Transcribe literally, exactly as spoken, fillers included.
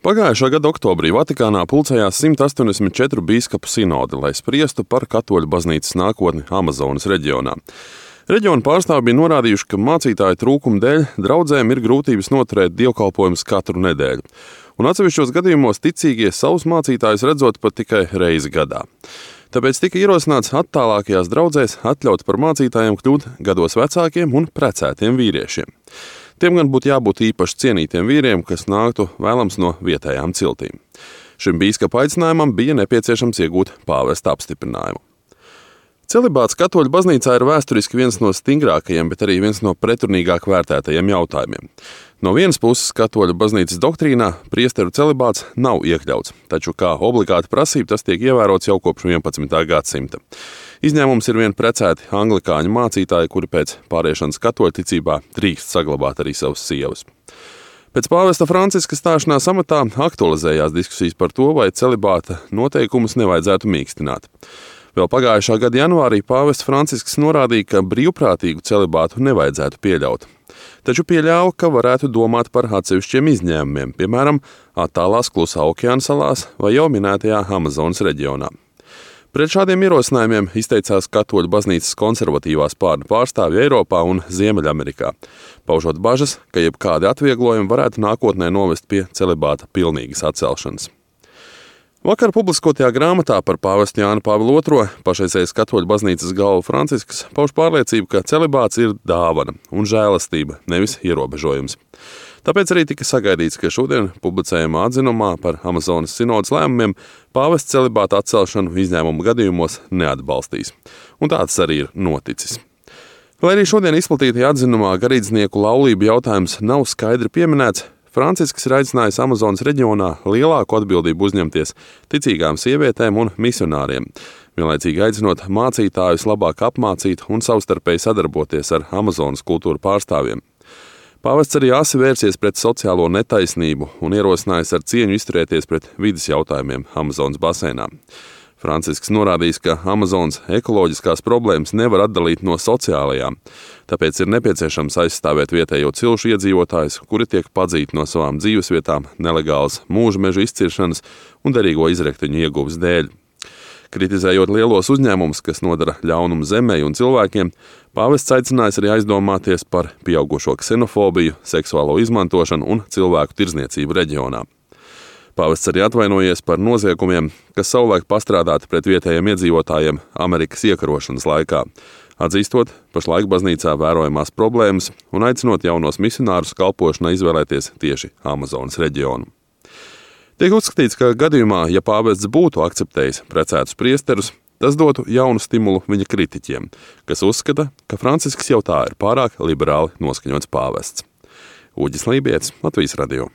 Pagājušā gada oktobrī Vatikānā pulcējās simt astoņdesmit četru bīskapu sinodi, lai spriestu par katoļu baznīcas nākotni Amazonas reģionā. Reģiona pārstāvji bija norādījuši, ka mācītāju trūkuma dēļ draudzēm ir grūtības noturēt dievkalpojumus katru nedēļu, un atsevišķos gadījumos ticīgie savus mācītājus redzot pat tikai reizi gadā. Tāpēc tika ierosināts attālākajās draudzēs atļaut par mācītājiem kļūt gados vecākiem un precētiem vīriešiem. Tiem gan būtu jābūt īpaši cienītiem vīriem, kas nāktu vēlams no vietējām ciltīm. Šim bīskapa aicinājumam bija nepieciešams iegūt pāvesta apstiprinājumu. Celibāts katoļu baznīcā ir vēsturiski viens no stingrākajiem, bet arī viens no pretrunīgāk vērtētajiem jautājumiem. No vienas puses katoļu baznīcas doktrīnā priesteru celibāts nav iekļauts, taču kā obligāta prasība tas tiek ievērots jau kopš vienpadsmitā gadsimta. Izņēmums ir vien precēti anglikāņu mācītāji, kuri pēc pāriešanas katoļticībā drīkst saglabāt arī savas sievas. Pēc pāvesta Franciska stāšanās amatā aktualizējās diskusijas par to, vai celibāta noteikumus nevajadzētu mīkstināt. Vēl pagājušā gada janvārī pāvests Francisks norādīja, ka brīvprātīgu celibātu nevajadzētu pieļaut. Taču pieļāva, ka varētu domāt par atsevišķiem izņēmumiem, piemēram, attālās Klusā okeāna salās vai jau minētajā Amazonas reģionā. Pret šādiem ierosinājumiem izteicās katoļu baznīcas konservatīvās spārna pārstāvji Eiropā un Ziemeļamerikā, paužot bažas, ka jebkādi atvieglojumi varētu nākotnē novest pie celibāta pilnīgas atcelšanas. Vakar publiskotajā grāmatā par pāvestu Jānu Pāvilu otro pašreizējais katoļu baznīcas galva Francisks pauž pārliecību, ka celibāts ir dāvana un žēlastība, nevis ierobežojums. Tāpēc arī tika sagaidīts, ka šodien publicējumā atzinumā par Amazonas sinodas lēmumiem pāvests celibāta atcelšanu izņēmumu gadījumos neatbalstīs. Un tāds arī ir noticis. Lai arī šodien izplatītajā atzinumā garīdznieku laulību jautājums nav skaidri pieminēts, Francisks ir aicinājis Amazonas reģionā lielāku atbildību uzņemties ticīgām sievietēm un misionāriem, vienlaicīgi aicinot mācītājus labāk apmācīt un savstarpēji sadarboties ar Amazonas kultūru pārstāvjiem. Pāvests arī asi vērsies pret sociālo netaisnību un ierosinājis ar cieņu izturēties pret vides jautājumiem Amazonas basēnā. Francisks norādījis, ka Amazonas ekoloģiskās problēmas nevar atdalīt no sociālajām, tāpēc ir nepieciešams aizstāvēt vietējo cilšu iedzīvotājus, kuri tiek padzīti no savām dzīvesvietām nelegālas mūža mežu izciršanas un derīgo izrekteņu ieguves dēļ. Kritizējot lielos uzņēmumus, kas nodara ļaunumu zemei un cilvēkiem, pāvests aicinājis arī aizdomāties par pieaugušo ksenofobiju, seksuālo izmantošanu un cilvēku tirdzniecību reģionā. Pāvests arī atvainojies par noziegumiem, kas savulaik pastrādāti pret vietējiem iedzīvotājiem Amerikas iekarošanas laikā, atzīstot pašlaik baznīcā vērojamās problēmas un aicinot jaunos misionārus kalpošanai izvēlēties tieši Amazonas reģionu. Tiek uzskatīts, ka gadījumā, ja pāvests būtu akceptējis precētus priesterus, tas dotu jaunu stimulu viņa kritiķiem, kas uzskata, ka Francisks jau tā ir pārāk liberāli noskaņots pāvests. Uģis Lībietis, Latvijas radio.